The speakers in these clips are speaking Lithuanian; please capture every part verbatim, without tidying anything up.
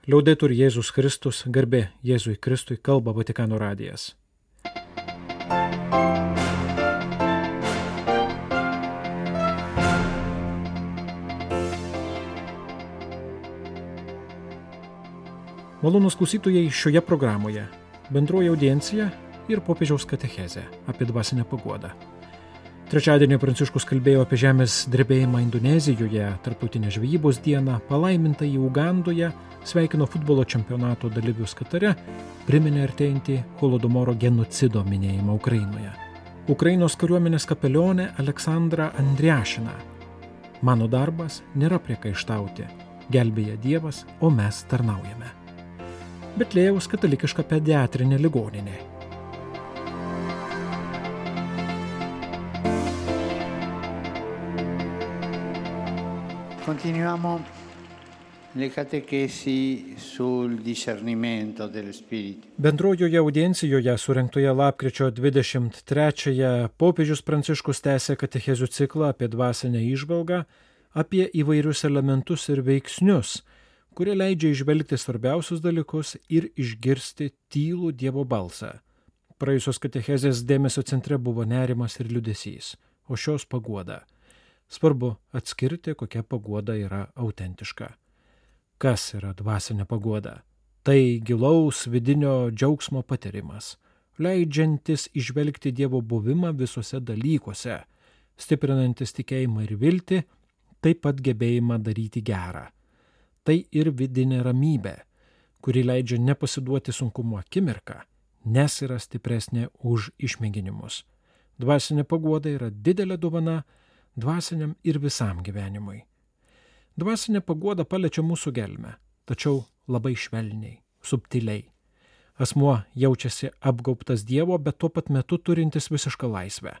Liaudetur Jėzus Kristus, garbė Jėzui Kristui, kalba Vatikano radijas. Malonūs klausytojai, šioje programoje bendroji audiencija ir popiežiaus katechezė apie dvasinę paguodą. Trečiadienį Pranciškus kalbėjo apie žemės drebėjimą Indonezijoje, tarptautinę žvejybos dieną, palaimintąjį Ugandoje, sveikino futbolo čempionato dalyvius Katare, priminė artėjantį Holodomoro genocido minėjimą Ukrainoje. Ukrainos kariuomenės kapelionė Aleksandra Andriašina. Mano darbas nėra priekaištauti, gelbėja Dievas, o mes tarnaujame. Betlėjaus katalikiška pediatrinė ligoninė. Continuiamo le catechesi sul discernimento dello spirito. Bendrojoje audiencijoje surengtoje lapkričio dvidešimt trečiąją popiežius Pranciškus tęsė katechezių ciklą apie dvasinę įžvalgą, apie įvairius elementus ir veiksnius, kurie leidžia įžvelgti svarbiausius dalykus ir išgirsti tylų Dievo balsą. Praėjusios katechezės dėmesio centre buvo nerimas ir liūdesys, o šios paguoda. Svarbu atskirti, kokia paguoda yra autentiška. Kas yra dvasinė paguoda? Tai gilaus vidinio džiaugsmo patyrimas, leidžiantis įžvelgti Dievo buvimą visuose dalykuose, stiprinantis tikėjimą ir viltį, taip pat gebėjimą daryti gerą. Tai ir vidinė ramybė, kuri leidžia nepasiduoti sunkumo akimirką, nes yra stipresnė už išmėginimus. Dvasinė paguoda yra didelė dovana dvasiniam ir visam gyvenimui. Dvasinė paguoda paliečia mūsų gelmę, tačiau labai švelniai, subtiliai. Asmuo jaučiasi apgaubtas Dievo, bet tuo pat metu turintis visišką laisvę.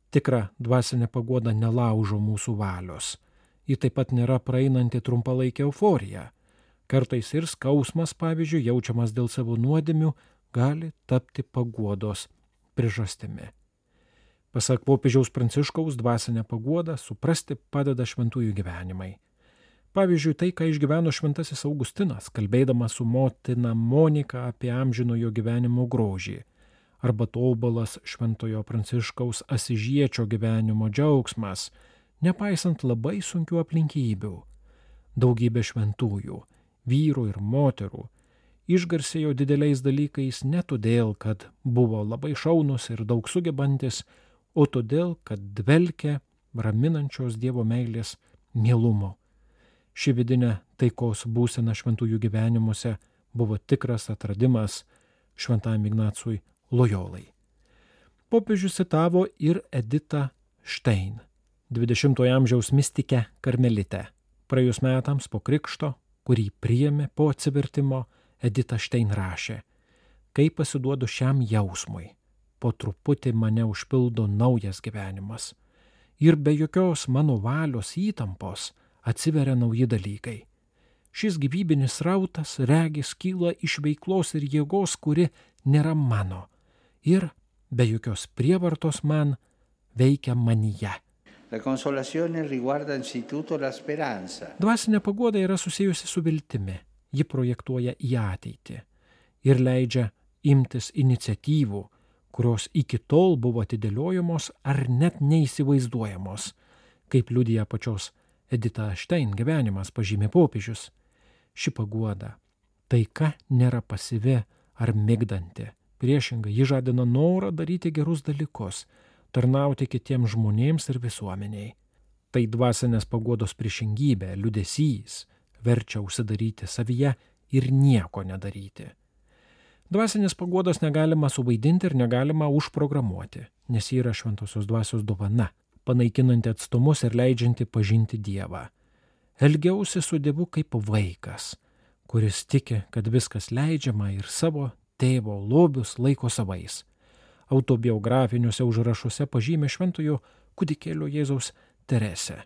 Tikra dvasinė paguoda nelaužo mūsų valios. Ji taip pat nėra praeinanti trumpalaikė euforija. Kartais ir skausmas, pavyzdžiui, jaučiamas dėl savo nuodėmių, gali tapti paguodos priežastimi. Pasak popiežiaus Pranciškaus, dvasinę paguodą suprasti padeda šventųjų gyvenimai. Pavyzdžiui, tai, ką išgyveno šventasis Augustinas, kalbėdamas su motina Monika apie amžinojo gyvenimo grožį, arba tobulas šventojo Pranciškaus Asižiečio gyvenimo džiaugsmas, nepaisant labai sunkių aplinkybių. Daugybė šventųjų, vyrų ir moterų, išgarsėjo dideliais dalykais ne todėl, kad buvo labai šaunus ir daug sugebantis, o todėl, kad dvelkia raminančios Dievo meilės mielumo. Ši vidinė taikos būsena šventųjų gyvenimuose buvo tikras atradimas šventajam Ignacui Lojolai. Popiežius citavo ir Editą Štein, dvidešimtojo amžiaus mistikę karmelitę. Praėjus metams po krikšto, kurį priėmė po atsivertimo, Edita Štein rašė: kai pasiduodu šiam jausmui, po truputį mane užpildo naujas gyvenimas. Ir be jokios mano valios įtampos atsiveria nauji dalykai. Šis gyvybinis rautas regis kyla iš veiklos ir jėgos, kuri nėra mano. Ir be jokios prievartos man veikia manyje. La consolazione riguarda anzitutto la speranza. Dvasinė paguoda yra susijusi su viltimi. Ji projektuoja į ateitį ir leidžia imtis iniciatyvų, kurios iki tol buvo atidėliojamos ar net neįsivaizduojamos, kaip liudija pačios Edita Štein gyvenimas, pažymė popiežius. Ši paguoda, taika nėra pasyvi ar migdanti. Priešingai, ji žadina norą daryti gerus dalykus, tarnauti kitiems žmonėms ir visuomeniai. Tai dvasinės paguodos priešingybė, liūdesys, verčia užsidaryti savyje ir nieko nedaryti. Dvasinės paguodos negalima suvaidinti ir negalima užprogramuoti, nes ji yra šventosios dvasios dovana, panaikinanti atstumus ir leidžianti pažinti Dievą. Elgiausi su Dievu kaip vaikas, kuris tiki, kad viskas leidžiama ir savo tėvo lobius laiko savais. Autobiografiniuose užrašuose pažymė šventojo kūdikėlio Jėzaus Teresę.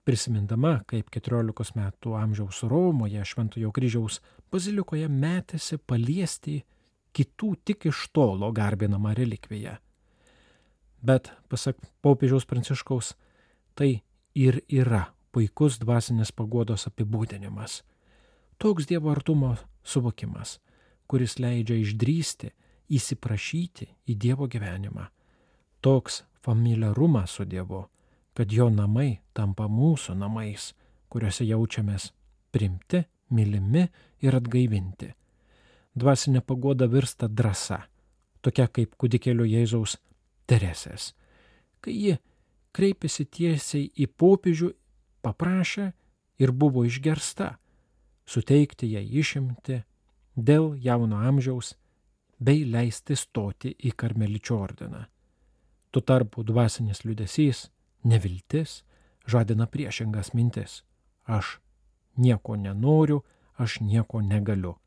Prisimindama, kaip keturiolikos metų amžiaus Romoje šventojo kryžiaus bazilikoje metėsi paliesti kitų tik iš tolo garbinamą relikviją. Bet, pasak popiežiaus Pranciškaus, tai ir yra puikus dvasinės paguodos apibūdinimas. Toks Dievo artumo suvokimas, kuris leidžia išdrįsti, įsiprašyti į Dievo gyvenimą. Toks familiarumas su Dievu, kad jo namai tampa mūsų namais, kuriuose jaučiamės priimti, mylimi ir atgaivinti. Dvasinė paguoda virsta drąsa, tokia kaip kūdikėlio Jėzaus Teresės. Kai ji kreipėsi tiesiai į popiežių, paprašė ir buvo išgersta, suteikti jai išimti dėl jauno amžiaus bei leisti stoti į karmeličių ordiną. Tuo tarpu dvasinis liūdesys, neviltis, žadina priešingas mintis. Aš nieko nenoriu, aš nieko negaliu.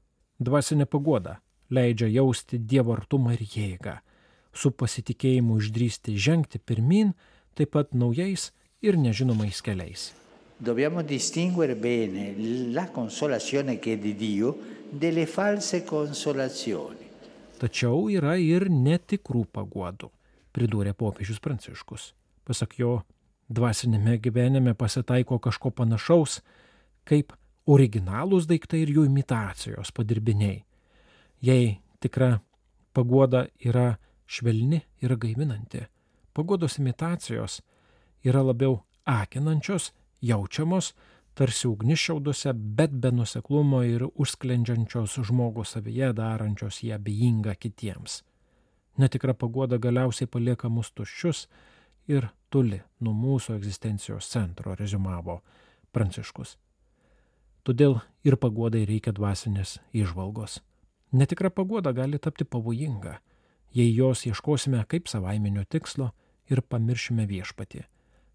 Dvasinė paguoda leidžia jausti Dievo artumą ir jėgą, su pasitikėjimu išdrįsti žengti pirmin, taip pat naujais ir nežinomais keliais. Dobbiamo distinguere bene la consolazione che è di Dio delle false consolazioni. Tačiau yra ir netikrų paguodų, pridūrė popiežius Pranciškus. Pasak jo, dvasinėme gyvenime pasitaiko kažko panašaus, kaip originalūs daiktai ir jų imitacijos padirbiniai. Jei tikra paguoda yra švelni ir gaivinanti, paguodos imitacijos yra labiau akinančios, jaučiamos, tarsi ugnišiaudose, bet be nuoseklumo ir užsklendžiančios žmogų savyje, darančios ją abejingą kitiems. Netikra paguoda galiausiai palieka mus tuščius ir toli nuo mūsų egzistencijos centro, reziumavo Pranciškus. Todėl ir paguodai reikia dvasinės įžvalgos. Netikra paguoda gali tapti pavojinga, jei jos ieškosime kaip savaiminio tikslo ir pamiršime viešpatį.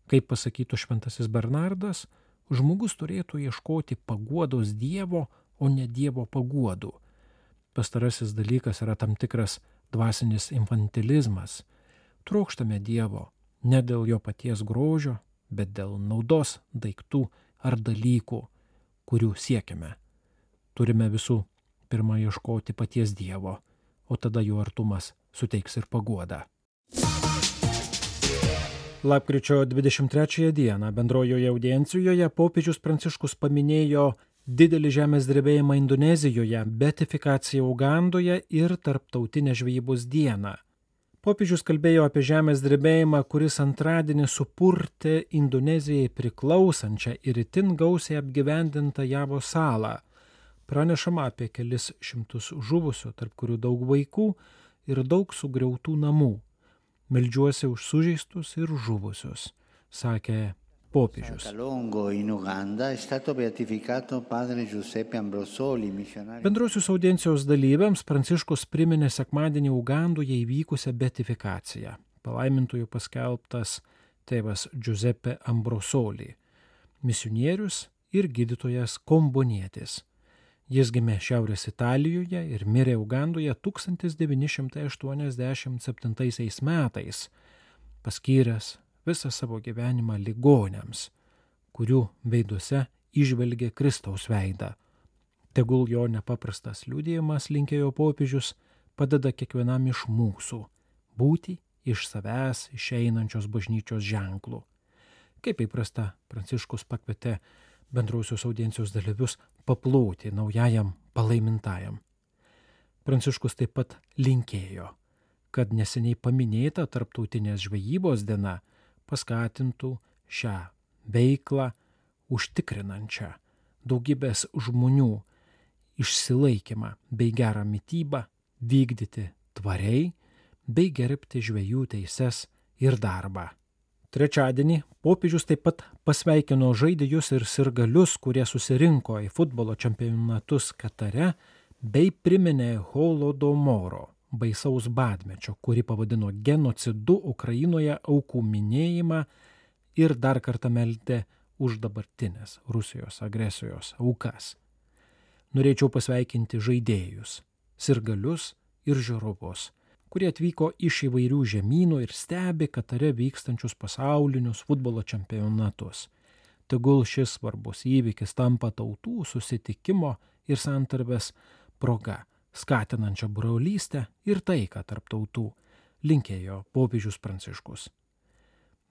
Kaip pasakytų šventasis Bernardas, žmogus turėtų ieškoti paguodos Dievo, o ne Dievo paguodų. Pastarasis dalykas yra tam tikras dvasinis infantilizmas. Trokštame Dievo ne dėl jo paties grožio, bet dėl naudos daiktų ar dalykų, kurių siekiame. Turime visų pirma ieškoti paties Dievo, o tada jo artumas suteiks ir paguodą. Lapkričio dvidešimt trečiąją dieną bendrojoje audiencijoje popiežius Pranciškus paminėjo didelį žemės drebėjimą Indonezijoje, beatifikaciją Ugandoje ir tarptautinę žvejybos dieną. Popiežius kalbėjo apie žemės drebėjimą, kuris antradienį supurtė Indonezijai priklausančią ir itin gausiai apgyvendintą Javos salą. Pranešama apie kelis šimtus žuvusių, tarp kurių daug vaikų ir daug sugriautų namų. Meldžiuosi už sužeistus ir žuvusius, sakė popiežius. Bendrosios audiencijos dalyviams Pranciškus priminė sekmadienį Ugandoje įvykusią beatifikaciją. Palaimintųjų paskelbtas tėvas Giuseppe Ambrosoli, misionierius ir gydytojas kombonietis. Jis gimė Šiaurės Italijoje ir mirė Ugandoje tūkstantis devyni šimtai aštuoniasdešimt septintaisiais metais, paskyręs visą savo gyvenimą ligoniams, kurių veiduose įžvelgė Kristaus veidą. Tegul jo nepaprastas liudijimas, linkėjo popiežius, padeda kiekvienam iš mūsų būti iš savęs išeinančios bažnyčios ženklų. Kaip įprasta, Pranciškus pakvietė bendrosios audiencijos dalyvius paploti naujajam palaimintajam. Pranciškus taip pat linkėjo, kad neseniai paminėta tarptautinės žvejybos diena paskatintų šią veiklą užtikrinančią daugybės žmonių išsilaikymą bei gerą mitybą vykdyti tvariai bei gerbti žvejų teises ir darbą. Trečiadienį popiežius taip pat pasveikino žaidėjus ir sirgalius, kurie susirinko į futbolo čempionatus Katare, bei priminė Holodomoro, baisaus badmečio, kurį pavadino genocidu Ukrainoje aukų minėjimą ir dar kartą meldė už dabartinės Rusijos agresijos aukas. Norėčiau pasveikinti žaidėjus, sirgalius ir žiūrovus, kurie atvyko iš įvairių žemynų ir stebi Katare vykstančius pasaulinius futbolo čempionatus. Tegul šis svarbus įvykis tampa tautų susitikimo ir santarvės proga, skatinančia brolystę ir taiką tarp tautų, linkėjo popiežius Pranciškus.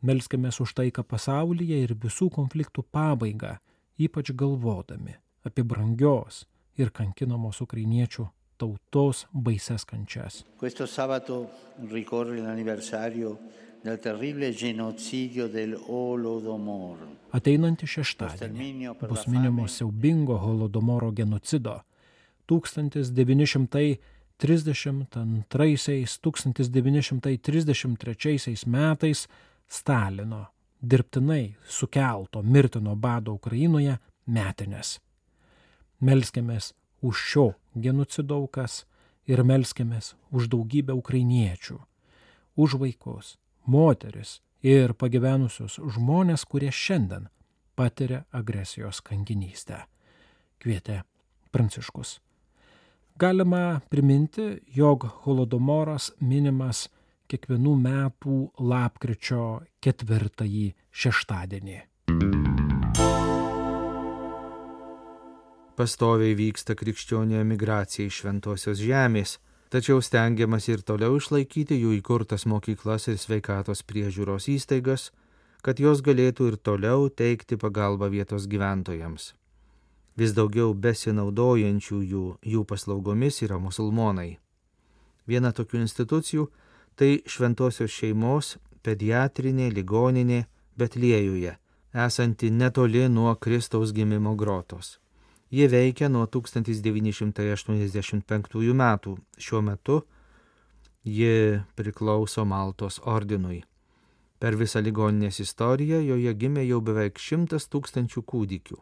Melskimės už taiką pasaulyje ir visų konfliktų pabaigą, ypač galvodami apie brangios ir kankinamos ukrainiečių tautos baises kančias. Questo sabato ricorre l'anniversario del terribile genocidio del Holodomor. Ateinantį šeštadienį bus minimo siaubingo Holodomoro genocido tūkstantis devyni šimtai trisdešimt antraisiais - tūkstantis devyni šimtai trisdešimt trečiaisiais metais Stalino dirbtinai sukelto mirtino bado Ukrainoje metinės. Melskimės už šio genocido aukas ir melskimės už daugybę ukrainiečių, už vaikus, moteris ir pagyvenusius žmonės, kurie šiandien patiria agresijos kankinystę, kvietė Pranciškus. Galima priminti, jog Holodomoras minimas kiekvienų metų lapkričio ketvirtąjį šeštadienį. Pastoviai vyksta krikščionių emigracija iš Šventosios žemės, tačiau stengiamas ir toliau išlaikyti jų įkurtas mokyklas ir sveikatos priežiūros įstaigas, kad jos galėtų ir toliau teikti pagalbą vietos gyventojams. Vis daugiau besinaudojančių jų, jų paslaugomis yra musulmonai. Viena tokių institucijų tai Šventosios šeimos pediatrinė ligoninė Betliejuje, esanti netoli nuo Kristaus gimimo grotos. Jie veikia nuo tūkstantis devyni šimtai aštuoniasdešimt penktųjų metų. Šiuo metu ji priklauso Maltos ordinui. Per visą ligoninės istoriją joje gimė jau beveik šimtas tūkstančių kūdikių.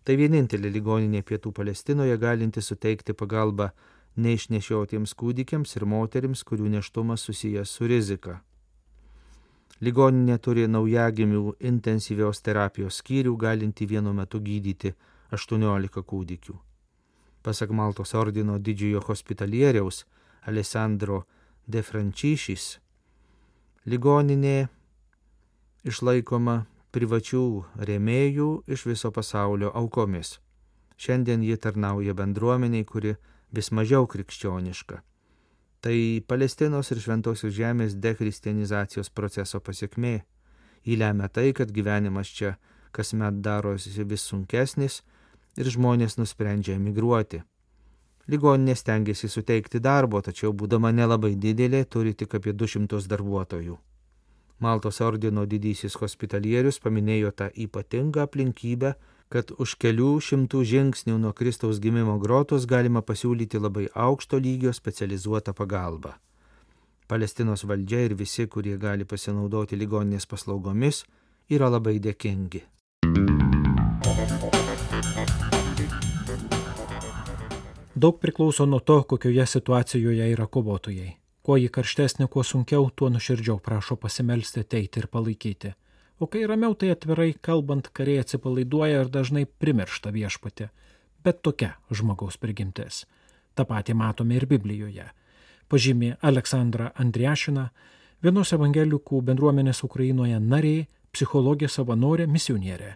Tai vienintelė ligoninė Pietų Palestinoje galinti suteikti pagalbą neišnešiotiems kūdikiams ir moterims, kurių nėštumas susijęs su rizika. Ligoninė turi naujagimių intensyvios terapijos skyrių, galinti vienu metu gydyti aštuoniolika kūdikių. Pasak Maltos ordino didžiojo hospitalieriaus Alessandro de Franciscis, ligoninė išlaikoma privačių rėmėjų iš viso pasaulio aukomis. Šiandien ji tarnauja bendruomeniai, kuri vis mažiau krikščioniška. Tai Palestinos ir Šventosios žemės dekristianizacijos proceso pasiekmė. Jį lemia tai, kad gyvenimas čia kasmet darosi vis sunkesnis ir žmonės nusprendžia emigruoti. Ligoninė stengiasi suteikti darbo, tačiau būdama nelabai didelė, turi tik apie du šimtus darbuotojų. Maltos ordino didysis hospitalierius paminėjo tą ypatingą aplinkybę, kad už kelių šimtų žingsnių nuo Kristaus gimimo grotos galima pasiūlyti labai aukšto lygio specializuotą pagalbą. Palestinos valdžia ir visi, kurie gali pasinaudoti ligoninės paslaugomis, yra labai dėkingi. Daug priklauso nuo to, kokioje situacijoje yra kovotojai. Kuo jį karštesnė, kuo sunkiau, tuo nuširdžiau prašo pasimelsti, ateiti ir palaikyti. O kai ramiau, tai atvirai kalbant, kariai atsipalaiduoja ir dažnai primiršta viešpatį. Bet tokia žmogaus prigimtis. Ta patį matome ir Biblijoje. Pažymė Aleksandra Andriašina, vienos evangelikų bendruomenės Ukrainoje narė, psichologė savanorė, misionierė.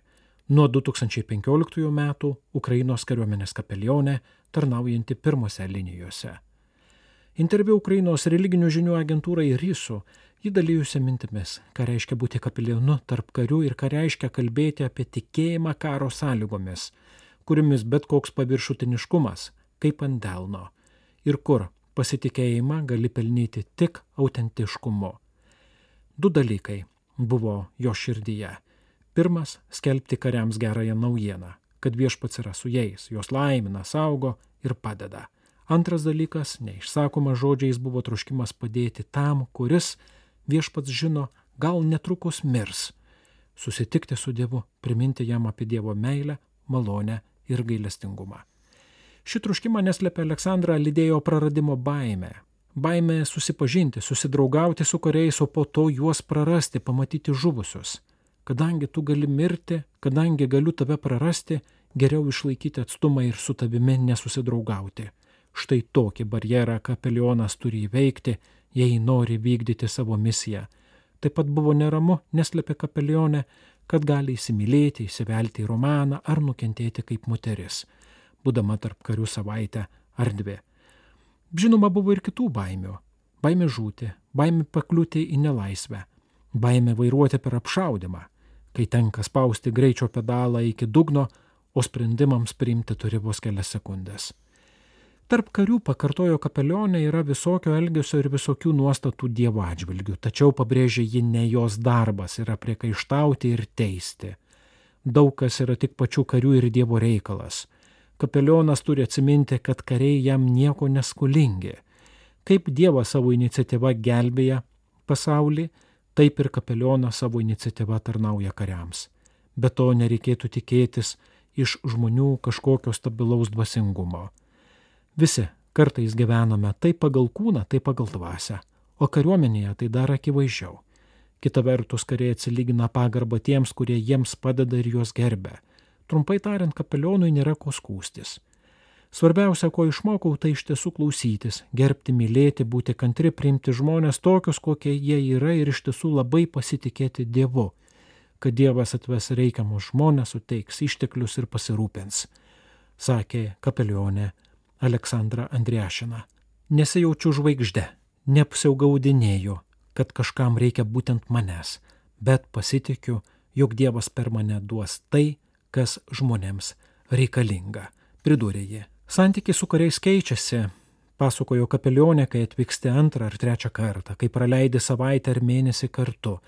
Nuo du tūkstančiai penkioliktųjų metų Ukrainos kariuomenės kapelionė, tarnaujanti pirmose linijose. Interviu Ukrainos religinių žinių agentūrai RISU ji dalyjusi mintimis, ką reiškia būti kapelionu tarp karių ir ką reiškia kalbėti apie tikėjimą karo sąlygomis, kuriomis bet koks paviršutiniškumas, kaip ant delno, ir kur pasitikėjimą gali pelnyti tik autentiškumu. Du dalykai buvo jo širdyje. Pirmas – skelbti kariams gerąją naujieną, kad viešpats yra su jais, juos laimina, saugo ir padeda. Antras dalykas, neišsakoma žodžiais, buvo troškimas padėti tam, kuris, viešpats žino, gal netrukus mirs. Susitikti su Dievu, priminti jam apie Dievo meilę, malonę ir gailestingumą. Ši troškimą neslėpė Aleksandrą lydėjo praradimo baimę. Baimė susipažinti, susidraugauti su kariais, o po to juos prarasti, pamatyti žuvusius. Kadangi tu gali mirti, kadangi galiu tave prarasti, geriau išlaikyti atstumą ir su tavimi nesusidraugauti. Štai tokį barjerą kapelionas turi įveikti, jei nori vykdyti savo misiją. Taip pat buvo neramu, neslėpė kapelionė, kad gali įsimylėti, įsivelti į romaną ar nukentėti kaip moteris, būdama tarp karių savaitę ar dvi. Žinoma, buvo ir kitų baimių. Baimė žūti, baimė pakliūti į nelaisvę, baimė vairuoti per apšaudymą, kai tenka spausti greičio pedalą iki dugno, o sprendimams priimti turi vos kelias sekundės. Tarp karių, pakartojo kapelionė, yra visokio elgesio ir visokių nuostatų Dievo atžvilgių, tačiau pabrėžė, ji ne jos darbas yra priekaištauti ir teisti. Daug kas yra tik pačių karių ir Dievo reikalas. Kapelionas turi atsiminti, kad kariai jam nieko neskolingi. Kaip Dievas savo iniciatyva gelbėja pasaulį, taip ir kapelionas savo iniciatyva tarnauja kariams. Be to nereikėtų tikėtis iš žmonių kažkokio stabilaus dvasingumo. Visi kartais gyvename tai pagal kūną, tai pagal dvasią, o kariuomenėje tai dar akivaizdžiau. Kita vertus, kariai atsilygina pagarbą tiems, kurie jiems padeda ir juos gerbia. Trumpai tariant, kapelionui nėra ko skųstis. Svarbiausia, ko išmokau, tai iš tiesų klausytis, gerbti, mylėti, būti kantri, priimti žmonės tokius, kokie jie yra ir iš tiesų labai pasitikėti Dievu, kad Dievas atves reikiamus žmonės, suteiks išteklius ir pasirūpins, sakė kapelionė Aleksandra Andriašina. Nesijaučiu žvaigžde, neapsiaugaudinėju, kad kažkam reikia būtent manęs, bet pasitikiu, jog Dievas per mane duos tai, kas žmonėms reikalinga, pridūrė ji. Santykiai su kariais keičiasi, pasakojo kapelionė, kai atvyksti antrą ar trečią kartą, kai praleidi savaitę ar mėnesį kartu,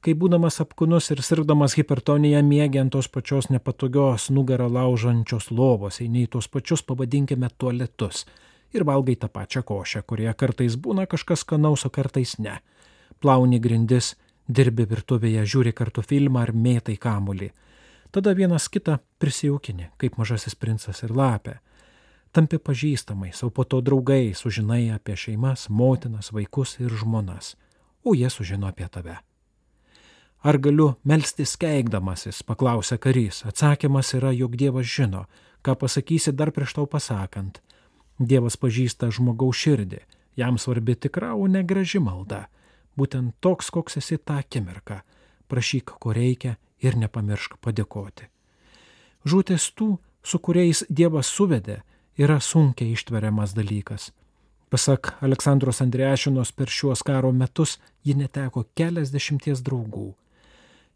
kai būdamas apkūnus ir sirgdamas hipertoniją miegi ant tos pačios nepatogios nugarą laužančios lovos, eini į tos pačius, pavadinkime, tualetus ir valgai tą pačią košę, kurioje kartais būna kažkas skanaus, o kartais ne. Plauni grindis, dirbi virtuvėje, žiūri kartu filmą ar mėtai kamuolį. Tada vienas kitą prisijaukini, kaip Mažasis princas ir lapė. Tampi pažįstamais, o po to draugai, sužinai apie šeimas, motinas, vaikus ir žmonas, o jie sužino apie tave. Ar galiu melstis keikdamasis, paklausė karys. Atsakymas yra, jog Dievas žino, ką pasakysi dar prieš tau pasakant. Dievas pažįsta žmogaus širdį, jam svarbi tikra, o ne graži malda. Būtent toks, koks esi tą akimirką. Prašyk, ko reikia ir nepamiršk padėkoti. Žūtis tų, su kuriais Dievas suvedė, yra sunkiai ištveriamas dalykas. Pasak Aleksandros Andriašinos, per šiuos karo metus ji neteko keliasdešimties draugų.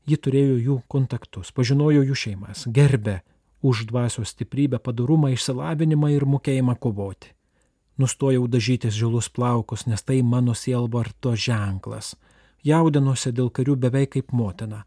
Ji turėjo jų kontaktus, pažinojo jų šeimas, gerbė už dvasios stiprybę, padorumą, išsilavinimą ir mokėjimą kovoti. Nustojau dažytis žilus plaukus, nes tai mano sielvarto ženklas. Jaudinosi dėl karių beveik kaip motina.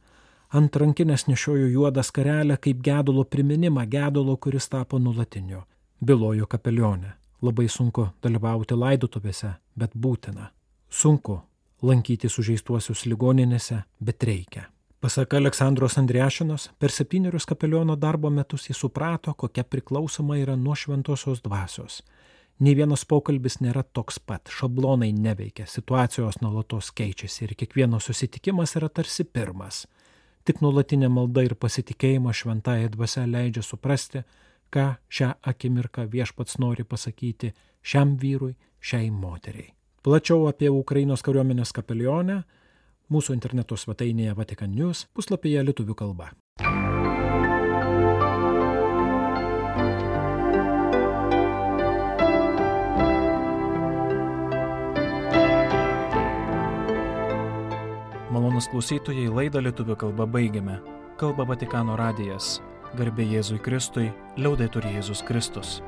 Ant rankinės nešiojo juodą skarelę kaip gedulo priminimą, gedulo, kuris tapo nuolatiniu. Bylojo kapelionė. Labai sunku dalyvauti laidotuvėse, bet būtina. Sunku lankyti sužeistuosius ligoninėse, bet reikia. Pasak Aleksandros Andriašinos, per septynerius kapeliono darbo metus jis suprato, kokia priklausoma yra nuo šventosios dvasios. Nei vienas pokalbis nėra toks pat, šablonai neveikia, situacijos nuolatos keičiasi ir kiekvienas susitikimas yra tarsi pirmas. Tik nuolatinė malda ir pasitikėjimas šventąja dvasia leidžia suprasti, ką šią akimirką Viešpats nori pasakyti šiam vyrui, šiai moteriai. Plačiau apie Ukrainos kariuomenės kapelionę mūsų interneto svetainėje Vatikan News puslapyje lietuvių kalba. Malonus klausytojai, laidą lietuvių kalba baigiame. Kalba Vatikano radijas. Garbė Jėzui Kristui, liaudetur Jėzus Kristus.